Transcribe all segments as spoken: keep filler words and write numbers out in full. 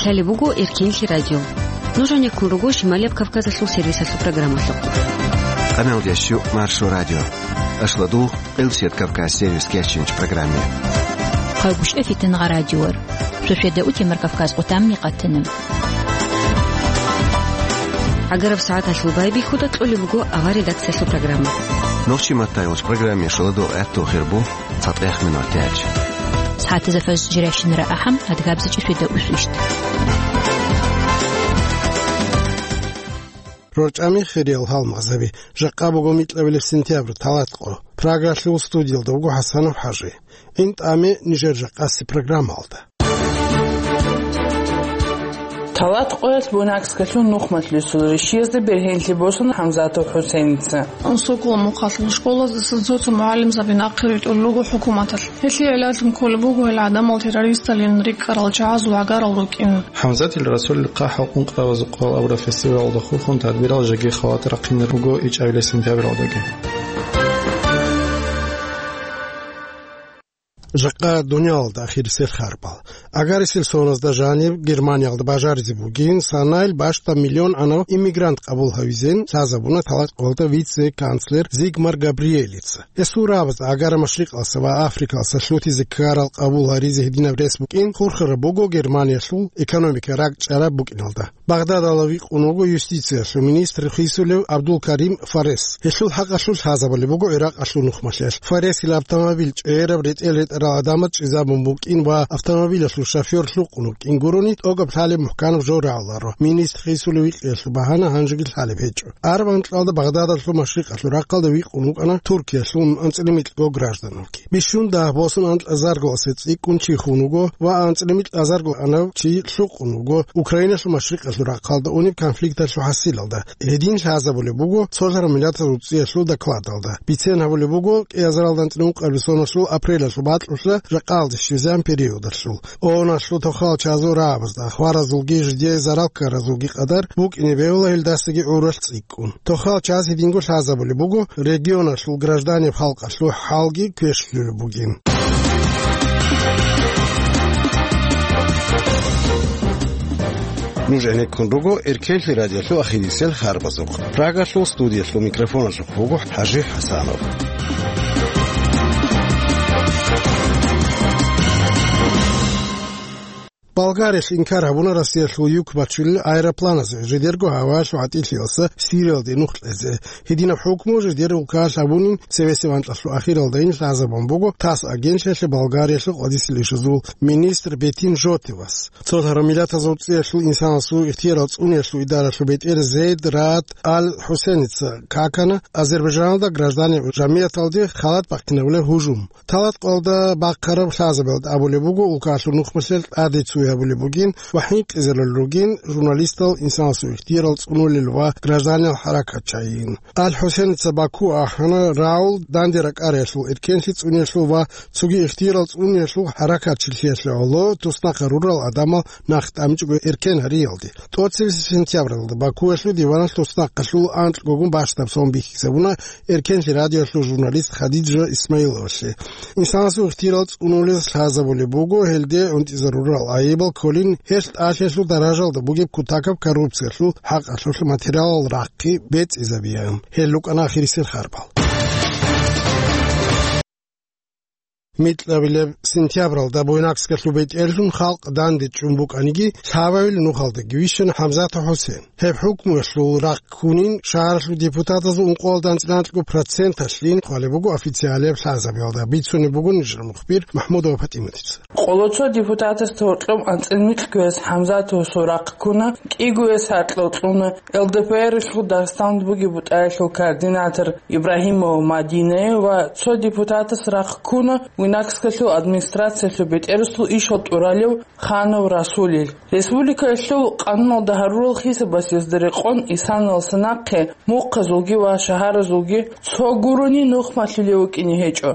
Лъалеб буго Эркенлъи радио. Нуж гьанеккун руго Шималияб Кавказалъул сервисалъул программалъухъ. Къамелдещу Маршо радио. Ашладу Къилсият Кавказ сервис кечинч программе. Хъагушев Фитнагъа радиор. Шошеда утемар Кавказ къутамни къатана. ГӀагараб сагӀаталъул байбихьуда кьолеб буго авар редакциялъул программа. Нохчи маттайолч программе шаладу гӀатту хирбу цатӀех минут тяч. СагӀатазда фаз жиращинара ахӀам адгабзичӀи шведа усвищт. РорчӀами хириял гьалмагъзаби, жакъа буго микьабилеб сентябрь, талатӀ къо. Прагалъул студиялда вуго ХӀасанов ХӀажи. ГӀин тӀаме нижер жакъаси программалда. Талат къоялъ Буйнакскалъул нухмалъулесул рищиязда бергьенлъи босун ХӀамзатов ХӀусейница. Сокола мухъалъул школаздаса цо-цо мугӀалимзаби нахъе ритӀулел руго хӀукуматалъ. Гьелъие гӀилаллъун кколеб буго гьел гӀадамал террористалин рикӀкӀарал чагӀаз вагӀарал рукӀин. ХӀамзатил Расулил хъахӀал къункъравазухъал абураб фестивалда хурхун тадбирал жеги халат рахъинар руго ичӀабилеб сентябралдаги. Жакъа дуниялалда ахирисел харбал. Агарисел соназда жаниб Германиялда бажаризе бугин, санайл бащдаб миллион анав иммигрант къабул гьавизен лъазабуна талат къоялда вице-канцлер Зигмар Габриелица. Гьесул рагӀабазда Агара Машрикъалъа ва Африкалъа лъутизе ккарал къабул гьаризе гьединаб рес букӀин хурхараб буго Германиялъул экономика ракӀчӀараб букӀиналда. Багъдадалда вихъун вуго юстициялъул министр хисулев Абдул-Карим Фарес. Гьелъул хӀакъалъулъ лъазабулеб буго ГӀиракъалъул нухмалъиялъ. Фаресил автомобиль чӀегӀераб ретӀел ретӀарал гӀадамаз чӀезабун букӀин ва автомобилалъул шофер лъукъун вукӀин гурони, тӀокӀаб лъалеб мухӀканаб жо рагӀуларо. Министр хисулев вихъиялъул багьана гьанжеги лъалеб гьечӀо. Араб анкьалда Багъдадалъул машрикъалъул рахъалда вихъун вукӀана Туркиялъул анцӀила микьго гражданал. Бищун дагь босун анкьазаргоасе цӀикӀкӀун чи хун вуго ва анцӀила микьазарго анав чи лъукъун вуго Украиналъул машрикъалъул рахъалда унеб конфликталъул хӀасилалда. Гьедин лъазабулеб буго цолъараб миллатазул цӀиялъул докладалда. Бицен гьабулеб буго кӀиазаралда анцӀила ункъабилеб соналъул апрелалъул бакьулъа жакъаялде щвезегӀан периодалъул. ООНалъул тохал чагӀазул рагӀабазда, хваразулги жидее зарал ккаразулги къадар букӀине бегьула гьелдасаги гӀуралъ цӀикӀкӀун. Тохал чагӀаз гьединго лъазабулеб буго регионалъул гражданиял халкъалъул хӀалги квешлъулеб бугин. Нуж гӀенеккун руго Эркенлъи радиолъул ахирисел харбазухъ. Прагалъул студиялъул микрофоналъухъ вуго ХӀажи ХӀасанов. Болгариялъ инкар гьабуна Россиялъул юк бачулел аэропланазе жидерго гьаваялъул гӀатӀилъиялъа Сириялде нух кьезе. Гьединаб хӀукму жидер улкаялъ гьабунин цевесев анкьалъул ахиралдайин лъазабун буго ТАСС агентлъиялъе Болгариялъул къватӀисел ишазул министр Бетин Жотевас. Цо гьарамилатазул цӀиялъул инсанасул ихтиярал цӀуниялъул идаралъул бетӀер Зейд Раат Ал-ХӀусеница какана Азербайджаналда гражданин жамияталде халат бахъинабулеб гьужум. Талат къоялда бахъараб лъазабиялда абулеб буго, улкалъул нухмалъиялъ тӀаде цуй гьабулеб бугин ва хӀинкъизарулел ругин журналистал, инсанасул ихтиярал цӀунулел ва гражданиял хӀаракатчагӀин. Ал-ХӀусеница Баку ахӀана, Раул данде ракӀариялъул, эркенлъи цӀуниялъул ва цоги ихтиярал цӀуниялъул хӀаракатчилъиялъе гӀоло туснахъа рурал гӀадамал нах тӀамичӀого эркен гьариялде. ТӀоцебесеб сентябралда Бакуялъул диваналъ туснахъалъул анкьгогун бащдаб сон бихьизабуна Эркенлъи радиоялъул журналист Хадижа Исмаиловалъе. Инсанасул ихтиярал цӀунулез лъазабулеб буго гьелде гӀунтӀизарурал айибал кколин, гьелъ тӀалъиялъул даражалда бугеб кутакаб коррупциялъул хӀакъалъулъ материалал рахъи бецӀизабиан. Гьел рукӀана ахирисел харбал. Микьабилеб сентябралда Буйнакскалъул бетӀерлъун халкъ данде чӀун букӀаниги, лъабавил нухалдаги вищана ХӀамзатов ХӀусен. Гьеб хӀукмуялъул рахъ ккунин шагьаралъул депутатазул ункъоялда анцӀила анкьго проценталъин хъвалеб буго официалияб лъазабиялда, бицунеб буго нижер мухбир МахӀмудова ПатӀиматица. Къоло цо депутатасда гьоркьоб анцӀила микьгояс ХӀамзатовасул рахъ ккуна, кӀигояс гьаркьал кьуна, ЛДПР-алъул Дагъистаналда бугеб бутӀаялъул координатор Ибрагьимова Мадинае ва цо депутатас рахъ ккуна Буйнакскалъул администрациялъул бетӀерасул ишал тӀуралев Ханов Расулил. Республикаялъул къануналда гьарурал хисабасезда рекъон исаналса нахъе мухъазулги ва шагьаразулги цо гурони нух малъулев вукӀине гьечӀо.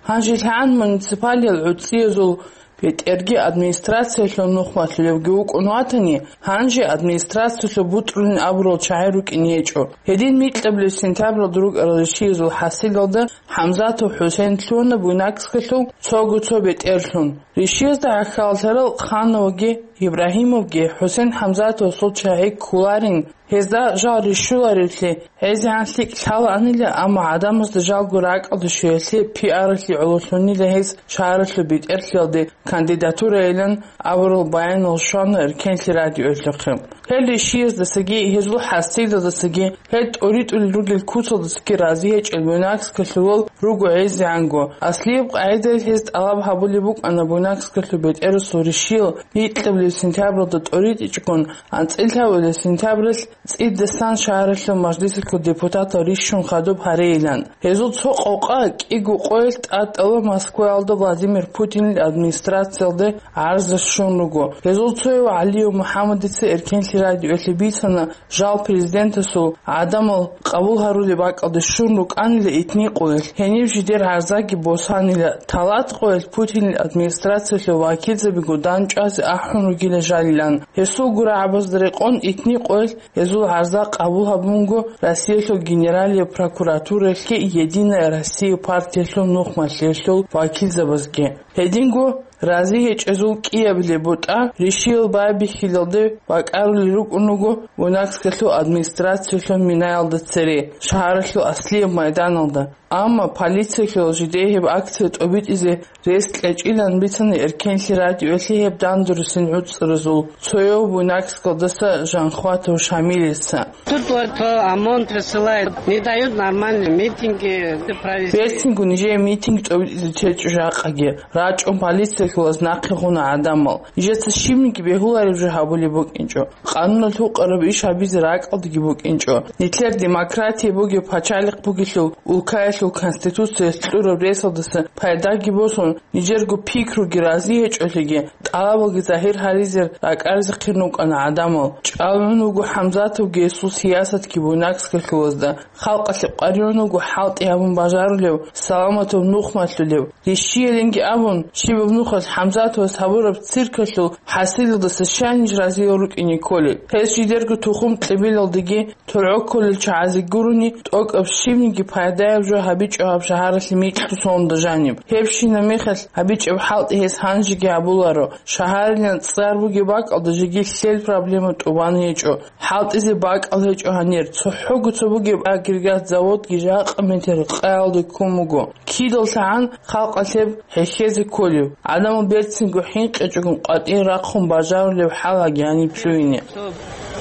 ГьанжелъагӀан муниципалиял гӀуцӀиязул БетӀерги администрациялъул нухмалъулевги вукӀун ватани, гьанже администрациялъул бутӀрулин абурал чагӀи рукӀине гьечӀо. Гьедин микьабилеб сентябралда рукӀарал ришиязул хӀасилалда ХӀамзатов ХӀусен лъугьана Буйнакскалъул цого цо бетӀерлъун. Ришиязда гӀахьаллъарал Хановги Ибрагьимовги ХӀусен ХӀамзатовасул чагӀи кколарин, гьезда жал рищуларевлъи гӀезегӀан лъикӀ лъалаанила, амма гӀадамазда жалго ракӀалде щвеялъе пиаралъе гӀололъунила гьез шагьаралъул бетӀерлъиялде кандидатурайилан абурал баянал щвана Эркенлъи радиоялъухъе. Гьел ришияздасаги, гьезул хӀасилалдасаги, гьел тӀоритӀулел ругел куцалдасаги рази гьечӀел Буйнакскалъулал руго гӀезегӀанго. Аслияб къагӀидаялъ гьез тӀалаб гьабулеб букӀана Буйнакскалъул бетӀерасул ришиял микьабилеб сентябралда тӀоритӀичӀогун, анцӀила гьавилеб сентябралъ цӀидасан шагьаралъул мажлисалъул депутатал рищун хадуб гьарейилан. Гьезул цо къокъа кӀиго къоялъ тӀадтӀала Москваялда Владимир Путинил администрациялде гӀарза щун руго. Гьезул цояв ГӀалиев МухӀаммадица Эркенлъи радиоялъе бицана, жал президентасул гӀадамал къабул гьарулеб бакӀалде щун рукӀанила итни къоялъ, гьениб жидер гӀарзаги босанила, талат къоялъ Путинил администрациялъул вакилзабиго дандчӀвазе ахӀун ругила жалилан. Гьесул гурагӀабазда рекъон итни къоялъ гьезул гӀарза къабул гьабунго Россиялъул Генералияб прокуратураялъги Единая Россия партиялъул нухмалъиялъул вакилзабазги. Гьединго рази гьечӀезул кӀиабилеб бутӀа ришиял байбихьилалде бакӀарулел рукӀун руго Буйнакскалъул администрациялъул минаялда цере, шагьаралъул аслияб майданалда. Амма полициялъул жидее гьеб акция тӀобитӀизе рес кьечӀилан бицана Эркенлъи радиоялъе гьеб дандурусин гӀуцӀаразул цояв Буйнакскалдаса Жанхватов Шамилица. Тут вот, э, ОМОН присылает, не дают нормальные митинги провести. Берцинго нижее митинг тӀобитӀизе течӀо жакъаги, рачӀун полициялъулаз нахъе гъуна гӀадамал. Нижеца щибниги бегьулареб жо гьабулеб букӀинчӀо. Къануналъ гьукъараб иш гьабизе ракӀалдаги букӀинчӀо. Нилъер демократия бугеб пачалихъ бугелъул, улкаялъул конституциялъ кьураб ресалдаса пайдаги босун, нижерго пикруги рази гьечӀолъиги, тӀалабалги загьир гьаризе ракӀаризехъин рукӀана гӀадамал. ЧӀалгӀун вуго ХӀамзатовги гьесул сиясатги Буйнакскалъулазда. Халкъалъе къваригӀун вуго хӀалтӀи гьабун бажарулев, саламатав нух малъулев. Рищиялинги абун, щибаб нухалъ ХӀамзатовас гьабураб циркалъул хӀасилалдаса щайин разиял рукӀине кколел. Гьез жидерго тухум-кьибилалдеги, тургӀо кколел чагӀазе гурони, тӀокӀаб щибниги пайдаяб жо гьабичӀо гьаб шагьаралъе микьго сонда жаниб. Гьебщинаб мехалъ гьабичӀеб хӀалтӀи гьес гьанжеги гьабуларо. Шагьарилан цӀар бугеб бакӀалда жеги лъел проблема тӀубан гьечӀо. ХӀалтӀизе бакӀал гьечӀо гьанир. ЦохӀого цо бугеб агрегат заводги жакъа метер къаялде ккун буго. КидаллъагӀан халкъалъеб хӀехьезе кколев. ГӀадамал берцинго хӀинкъичӀого къватӀир рахъун бажарулеб хӀалаги гьаниб лъугьине.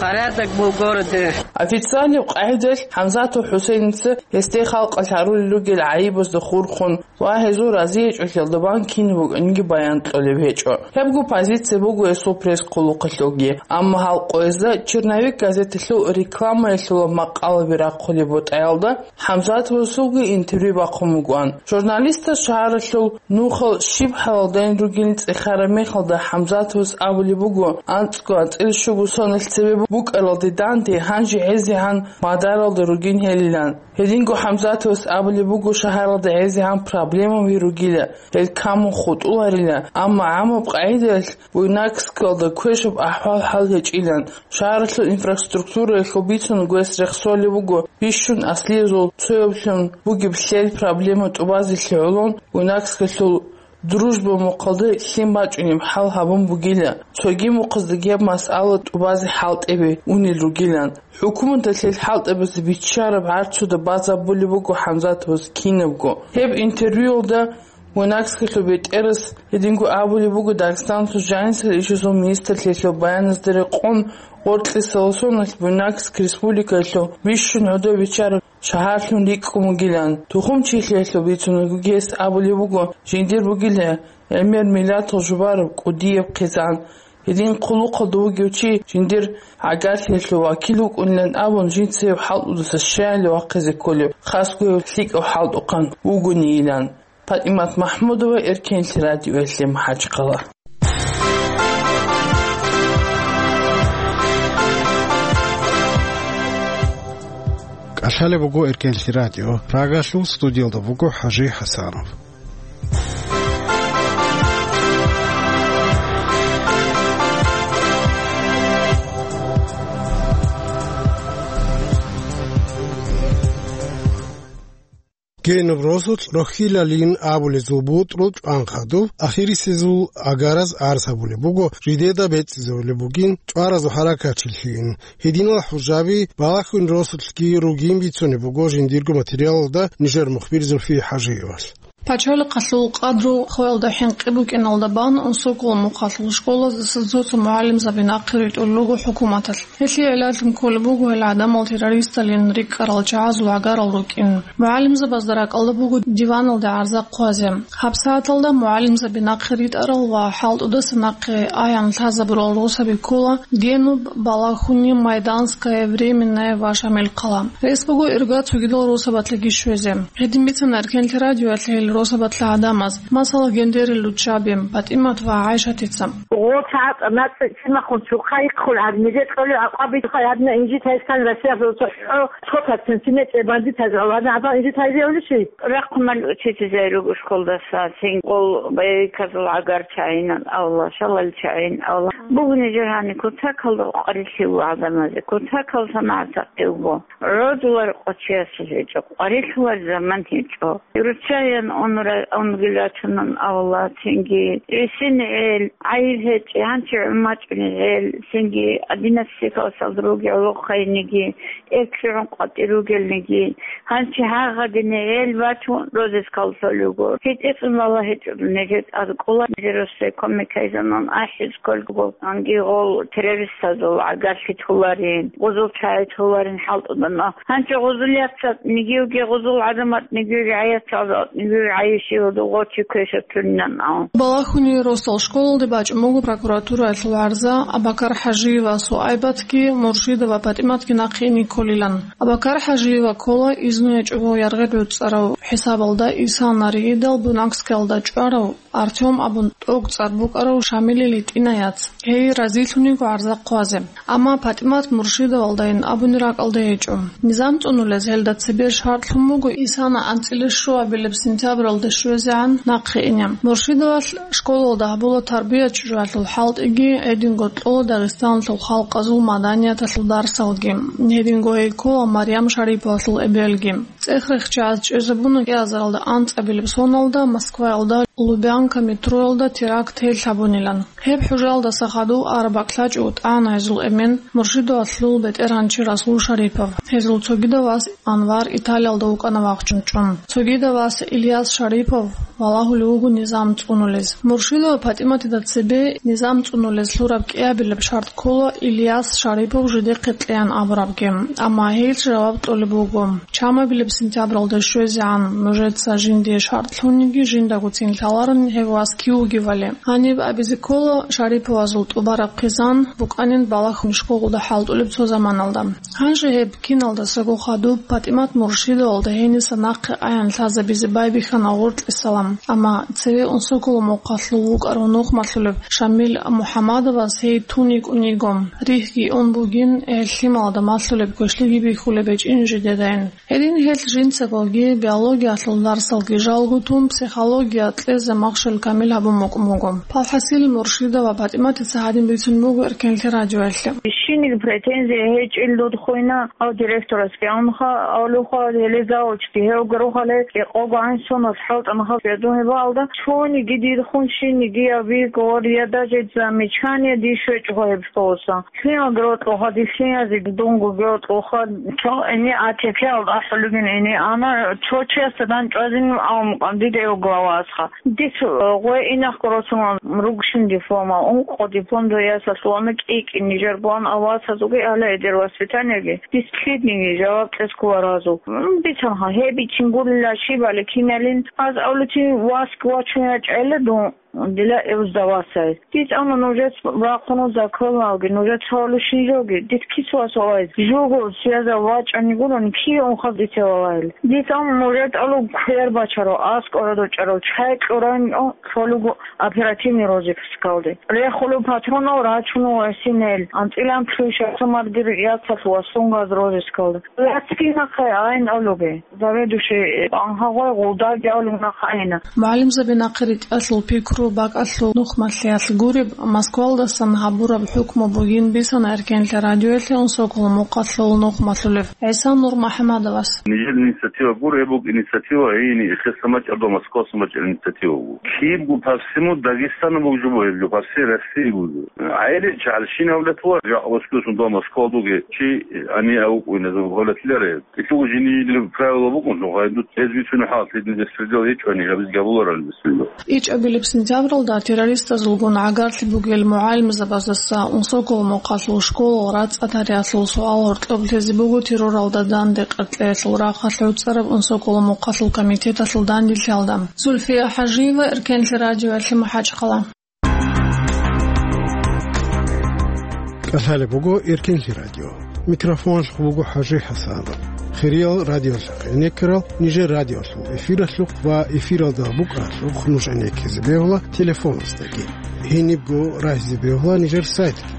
Порядок был в городе. Официальный къагӀидаялъ ХӀамзатов ХӀусейница гьесде халкъалъ гьарулел ругел гӀайибазда хурхун, ва гьезул разиячӀолъиялда бан кинаб букӀаниги баян кьолеб гьечӀо. Гьебго позиция буго гьесул пресс-хъулухъалъулги. Амма гьал къоязда «Черновик» газеталъул рекламаялъула макъалаби рахъулеб бутӀаялда ХӀамзатовасулги интервью бахъун бугоан. Журналистас шагьаралъул нухал щиб хӀалалдайин ругин цӀехараб мехалда, ХӀамзатовас абулеб буго, анцӀго анцӀила щуго соналъ цебе букӀаралде данде гьанже гӀезегӀан мадаралда ругин гьелилан. Гьединго ХӀамзатовас абулеб буго, шагьаралда гӀезегӀан проблемаби ругила, гьел камун хутӀуларила, амма гӀамаб къагӀидаялъ Буйнакскалда квешаб ахӀвал-хӀал гьечӀилан. Шагьаралъул инфраструктураялъул бицун гьес рехсолеб буго бищун аслиязул цояблъун бугеб лъел проблема тӀубазелъи гӀолон, Буйнакскалъул Дружба мухъалда лъим бачӀунеб хӀал гьабун бугила, цоги мухъаздаги гьаб масъала тӀубазе хӀалтӀебе унел ругилан. ХӀукуматалъе хӀалтӀабазе биччараб гӀарцуда базабулеб буго ХӀамзатовас кинабго. Гьеб интервьюялда Буйнакскалъул бетӀерас гьединго абулеб буго Дагъистаналъул жанисел ишазул министрлъиялъул баяназда рекъон, гъоркьисаласуналъ Буйнакск республикаялъул бищун гӀодов биччараб шагьарлъун рикӀкӀун вугилан. Тухумчилъиялъул бицунагоги гьес абулеб буго, жиндир бугила гӀемер миллатал жубараб кӀудияб хъизан. Гьедин хъулухъалда вугев чи жиндир гӀагарлъиялъул вакил вукӀунилан абун, жинцаяб хӀалтӀудаса щаялъе вахъизе кколеб, хасго гьев лъикӀав хӀалтӀухъан вугонийилан. ПатӀимат МахӀмудова, Эркенлъи радиоялъе, МахӀачхъала. КӀалъалеб буго Эркенлъи радио. Прагалъул студиялда буго ХӀажи ХӀасанов. Гьениб росулъ рохьилалин абулезул бутӀрул чӀван хадуб, ахирисезул агараз арс гьабулеб буго, жидеда бецӀизабулеб бугин чӀваразул хӀаракатчилъийин. Гьединал хӀужаби балагьун росулъги ругин бицунеб буго жиндирго материалалда нижер мухбир Зульфия ХӀажиевалъ. Пачалихъалъул къадру хвелда хӀинкъи букӀиналда бан, Унсоколо мухъалъул школаздаса цо-цо мугӀалимзаби нахъе ритӀулел руго хӀукуматалъ. Гьелъие гӀилаллъун кколеб буго гьел гӀадамал террористалин рикӀкӀарал чагӀазул гӀагарал рукӀин. МугӀалимзабазда ракӀалда буго диваналде гӀарза хъвазе. ГьабсагӀаталда мугӀалимзаби нахъе ритӀарал ва хӀалтӀудаса нахъе аян лъазабурал росаби ккола Генуб, Балахуни, Майданская, Временная ва Шамилхъала. Рес буго ирга цогидал росабалъеги щвезе. Гьедин бицана Эркенлъи радиоялъ гьел росабалъа гӀадамаз, масала, Гендерил руччаби, ПатӀимат ва ГӀайшатица. Гъо цӀакъ нацӀцӀи цӀимахун цухъа ихъун гьаб, нижер кьолев акъвабилха гьабна инжит гьайстан Россия цо цо хӀо, цо процент сине цӀе бандитаз гьавана гьабал инжит гьайзе улищи? Рахъ мал учитель руго школдаса, цин къол боевиказул гӀагар чагӀинан авла, шалал чагӀин авла. Бугу нижер гьани кутакалда къварилъи гӀадамазе, кутакал санагӀат гьаб буго. Родулар къочиясулъ гьечӀо, къварилъулар заман гьечӀо. Руччаян унра-, унгилачунан авла, цинги рисин гӀел, гӀайиб гьечӀи, гьанчи гӀумачӀуни гӀел, цинги одиннадцать классалда руги гӀолохъайниги, эклъигӀун къватӀир ругелниги, гьанчи гьагъадини гӀел бачун розискал лъолего. ГьитӀицӀун бала гьечӀо нижер тӀад кӀола, нижер россе кумекайзанан ахӀиз кколго, анги гъол террористазул гӀагарлъи толарин, гъузул чагӀи толарин хӀалтӀудана. Гьанчи гъузул яцатӀнигивги, гъузул гӀадаматӀнигивги, гӀаяцалатӀнигивги гӀайищи гьудугъо чи квешатунинан. Балахуни росдал школалде бачӀун буго прокуратураялъул гӀарза Абакар ХӀажиева Суайбатги Муршидова ПатӀиматги нахъе ине кколилан. Абакар ХӀажиева ккола изну гьечӀого яргъи гӀуцӀарав хӀисабалда Иса Нариидал Бунакскиялда чӀварав Артём абун тӀокӀцӀар букӀарав Шамилил гьитӀинай яц. Гьей разилъун йиго гӀарза хъвазе. Амма ПатӀимат Муршидовалдайин абуни ракӀалда гьечӀо. Низам цӀунулез гьелда цебе шартӀлъун буго Исана анцӀила щуабилеб сентябралда щвезегӀан нахъе ине. Муршидовалъ школалда гьабула тарбия-чӀужуялъул хӀалтӀиги, гьединго кьола Дагъистаналъул халкъазул маданияталъул дарсалги, гьединго гьей ккола Марьям Шариповалъул эбелги. ЦӀех рехчаз чӀезабуна кӀиазаралда анцӀабилеб соналда Москваялда Лубянка метроялда теракт гьел гьабунилан. Гьеб хӀужалдаса хадув араб бакӀлъачӀо тӀагӀана гьезул эмен, Муршидовалъул бетӀергьанчи Расул Шарипов. Гьезул цогидав вас Анвар Италиялда вукӀана вахчун чӀун. Цогидав вас Ильяс Шарипов валагьулев вуго низам цӀунулез. Муршидова ПатӀиматида цебе низам цӀунулез лъураб кӀиабилеб шартӀ ккола Ильяс Шарипов жидехъе кьеян абурабги, амма гьел жаваб кьолеб буго. Чамабилеб сентябралда щвезегӀан нужеца жиндие шартӀ лъуниги, жиндагоцин лъаларин гьев вас кив вугевали. Гьаниб абизе ккола, Шариповазул тӀубараб хъизан букӀанин балагьун школалда хӀалтӀулеб цо заманалда. Гьанже гьеб киналдасаго хадуб ПатӀимат Муршидовалда гьениса нахъе аян лъазабизе байбихьана гъоркьисалан, амма цеве Унсоколо мухъалъул вукӀарав нухмалъулеб Шамил МухӀаммадовас гьей тун йикӀун йиго. Рихьги ун бугин, гьел лъималазда малъулеб квешлъиги бихьулеб гьечӀин жидедайин. Гьедин гьел жинцагоги биологиялъул дарсалги жалго тун, психология кьезе махщел камил гьабун букӀун буго. Палхасил Муршидова ПатӀиматица гьадин бицун буго Эркенлъи радиоялъе. Щиниг претензия гьечӀел дудхъуйна, гьав директорасги амха, авлуха, гьеле завучги гьев гурухъале, кӀикъого гӀан сонас хӀалтӀанха федун гьебаалда, цониги дидхъун щинигияв бигор, я даже замечание диш вечӀго гьеб школаса. Лъимал гротӀлъуха, дилъиязеги дунго гротӀлъуха, цо гӀини А Т П-алда ахӀулугин гӀини, амма цо чиясда дандчӀвазин авмукъан дида гьев главасха. Дис гъой инахъго росулан ругщин дипломал, ункъо диплом дуе ясалъулана кӀи-кӀи нижер буан авасазулги гьалаидер воспитаниеги дис лъидниги жаваб кьес ккола разул. М, бицанха, гьеб бичин гурила щибали киналин, аз авлуцин васк вачун ячӀайла дун. Дила эвздавасай. Дица амма нужец бахъуну законалги, нужец гьавлу шинжоги, дит кисвас валай. Жуго связа вачӀани гурани, кие унхъа дица валай. Дица амма нужер тӀалу квер бачаро, аскӀорадо чӀаро, чай кьуран, о, цолуго оперативный розыскалде. Рехулу патронал рачуну васинел, анцӀилан плюшаса мардир яцалъ васун газ розыскалде. Яцги нахъе айн алуге. Заведующий, анхагъой гъулдаги алуг нахъ айна. МугӀалимзаби нахъе ритӀалъул пикру БакӀалъул нухмалъиялъ гуреб, Москвалдасан гьабураб хӀукму бугин бицана Эркенлъи радиоялъе Унсоколо мухъалъул нухмалъулев ГӀиса Нурмухьамадовас. Нижер инициатива гур, гьеб буго инициатива гьейни эхеса мачӀарда Москваса мачӀар инициатива буго. Кибго по всему Дагестану бугжу бугеб жо, по всей России бугжу. ГӀайри чагӀалщинав латула жакъа Москвасын до Москва дуге чи ани аукъуйна гьолатларе. Кьелъул жинияб правила букӀун, гъайдут гьез бицунеб хӀал, гьедин беспредел гьечӀони, гьабиз гьабуларал беспредел. ИчӀабилеб сентябралда террористазулгун гӀагарлъи бугел мугӀалимзабаздаса Унсоколо мухъалъул школал рацӀцӀа тарихалъул суал гьоркьоб лъезе буго терроралда данде къеркьеялъул рахъалъ гӀуцӀараб Унсоколо мухъалъул комитеталъул данделъиялда. Зульфия ХӀажиева, Эркенлъи радиоялъе, МахӀачхъала. КӀалъалеб буго Эркенлъи радио. Микрофоналъухъ буго ХӀажи ХӀасанов. Хириял радиолъухъ гӀенеккарал нижер радиолъул эфиралъухъ ва эфиралда букӀаралъухъ нуж гӀенеккизе бегьула телефоназдаги. Гьенибго рагьизе бегьула нижер сайтги.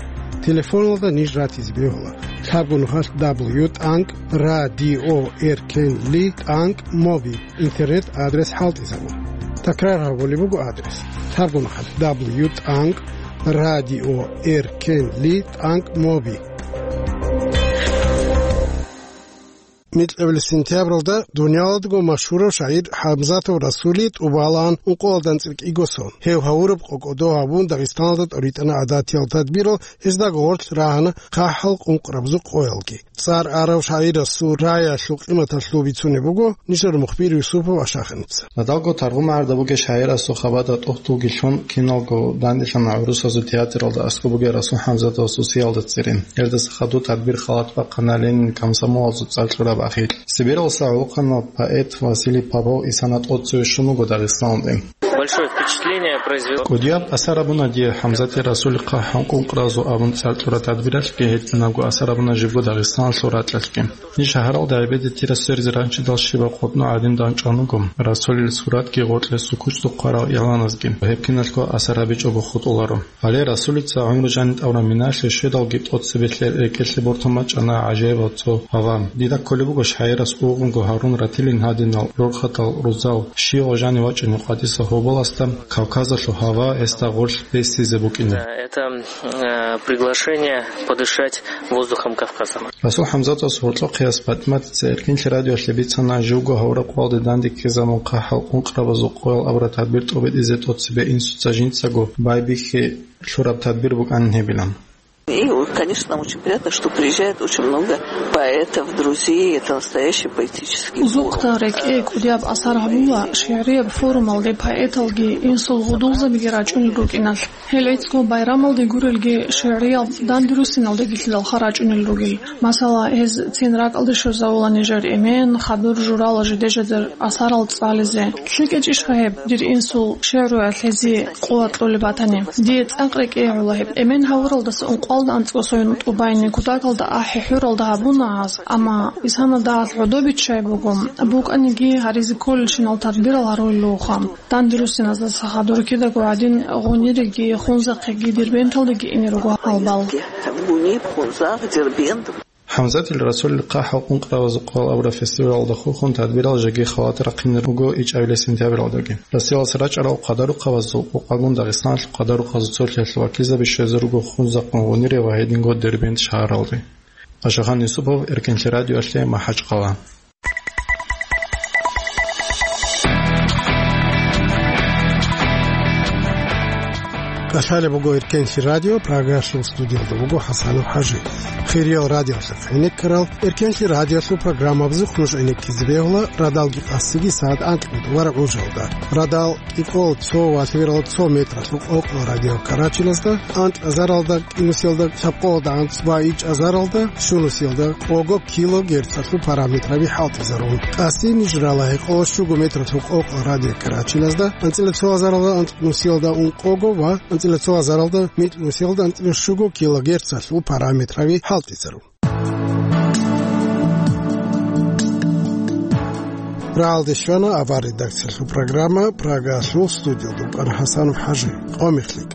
Телефоналда ниж ратизе бегьула лъабго нухалъ дабл ю тӀанкӀ радио эркенли тӀанкӀ моби. Интернет адрес хӀалтӀизабун. Такрар гьабулеб буго адрес: лъабго нухалъ дабл ю тӀанкӀ радио эркенли тӀанкӀ моби. Микьабилеб сентябралда дуниялалдаго машгьурав шагӀир ХӀамзатов Расули тӀубалаан ункъоялда анцӀила кӀиго сон. Гьев гьавураб къо кӀодо гьабун, Дагъистаналда тӀоритӀана гӀадатиял тадбирал, гьездаго гъорлъ рагьана хъахӀал къункърабазул къоялги. ЦӀар арав шагӀирасул раялъул къиматалъул бицунеб буго нижер мухбир Юсупов Ашахиница. Радалго Таргъу магӀарда бугей шагӀирасул хабада тӀухьдулги лъун, киналго данделъана гӀурусазул театралда аскӀоб бугей Расул ХӀамзатовасул сиялда цере. Гьелдаса хадуб тадбир халат бахъана Ленин комсомолалъул цӀар кьураб ахирлъи. Сибиралдаса гӀолохъанав поэт Василий Попов исана тӀоцеве щун вуго Дагъистаналде. Большое впечатление произвело. КӀудияб асар гьабуна дие ХӀамзатил Расулил хъахӀал къункърабазул абун цӀар кьураб тадбиралъги, гьединабго асар гьабуна жибго Дагъистаналъул ракьалъги. Ниж шагьаралда гӀебеде тира сверзе ранчидал щибаб къотӀноб гӀадин дандчӀван вуго, Расулил суратги гъоркье сукучӀдухъ хъварал игӀланазги, гьеб киналго асар гьабичӀого хутӀуларо. Гьале Расулица гӀумру жаниб тӀавураб миналъе щведалги тӀоцебе рекӀелъе бортун бачӀана гӀажаибал цо гьава. Дида кколеб буго шагӀирас угӀунго гьарун ратилин гьадинал рорхатал рузал, щивав жанив вачӀунев къватӀиса гьоболасда Кавказалъул гьава гьесда гъорлъ бесизе букӀине. Это, э, приглашение подышать воздухом Кавказа. Расул ХӀамзатовас гьоркьохъеяс ПатӀиматица Эркенлъи радиоялъе бицана, живго гьавураб къоялде данде ккезабун хъахӀал къункърабазул къоял абураб тадбир тӀобитӀизе тӀоцебе инсуца жинцаго байбихьи лъураб тадбир букӀанин гьебилан. И, конечно, нам очень приятно, что приезжает очень много поэтов, друзей. Это настоящий поэтический форум. Узухъа рекӀее кӀудияб асар гьабула шигӀрияб форумалде поэталги, инсул гьудулзабиги рачӀунел рукӀиналъ. Гьел гӀицӀго байрамалде гурелги шигӀриял дандирусиналде гилъидалха рачӀунел ругел. Масала, гьез цин ракӀалде щвезавула нижер эмен, хадур журала жиде-жидер асарал цӀализе. ЛъикӀечӀищха гьеб, дир инсул шигӀруялъ гьезие къуват кьолеб батани? Дие цӀакъ рекӀее гӀола гьеб. Эмен гьавуралдаса ункъоялда анцӀго сон тӀубайни кутакалда ахӀи хӀуралда гьабуна гьаз, амма исана дагьалъ гӀодобиччай буго, букӀаниги гьаризе кколелщинал тадбирал гьарулелъулха. Дандирусиназдаса хадур кидаго гӀадин, Гъуниреги Хунзахъеги Дербенталдеги ине руго гьал бал. В Гунире, в Хунзах, Дербент. ХӀамзатил Расулил хъахӀал къункърабазул къоял абураб фестивалалда хурхун тадбирал жеги халат рахъине руго ичӀабилеб сентябралдаги. Россиялдаса рачӀарал къадарухъабазул къокъагун Дагъистаналъул къадарухъазул цолъиялъул вакилзаби щвезе руго Хунзахъ, Гъунире ва гьединго Дербент шагьаралде. Ашахан Юсупов, Эркенлъи радиоялъе, МахӀачхъала. КӀалъалеб буго Эркенлъи радио, Прагалъул студиялда вуго ХӀасанов ХӀажи. Хириял радиолъухъ гӀенеккарал Эркенлъи радиолъул программабазухъ нуж гӀенеккизе бегьула радалги къасиги сагӀат анкьго ва гӀужалда. Радал кӀикъоялда цо ва лъабералда цо метралъул къокъо радиокарачиназда, анкьазаралда кӀинусиялда лъабкъоялда анцӀ ва ичӀазаралда щунусиялда къого килогерцалъул параметраби хӀалтӀизарун. Къаси ниж рала гьекъолда щуго метралъул къокъо радиокарачиназда, анцӀила цо азаралда анцӀнусиялда ункъого ва анцӀила цо азаралда микьнусиялда анцӀила щуго килогерцалъул параметраби хӀалтӀизарун. Рагьалде щвана авар редакциялъул программа, Прагалъул студиялда вукӀана ХӀасанов ХӀажи. Къо мехлъи.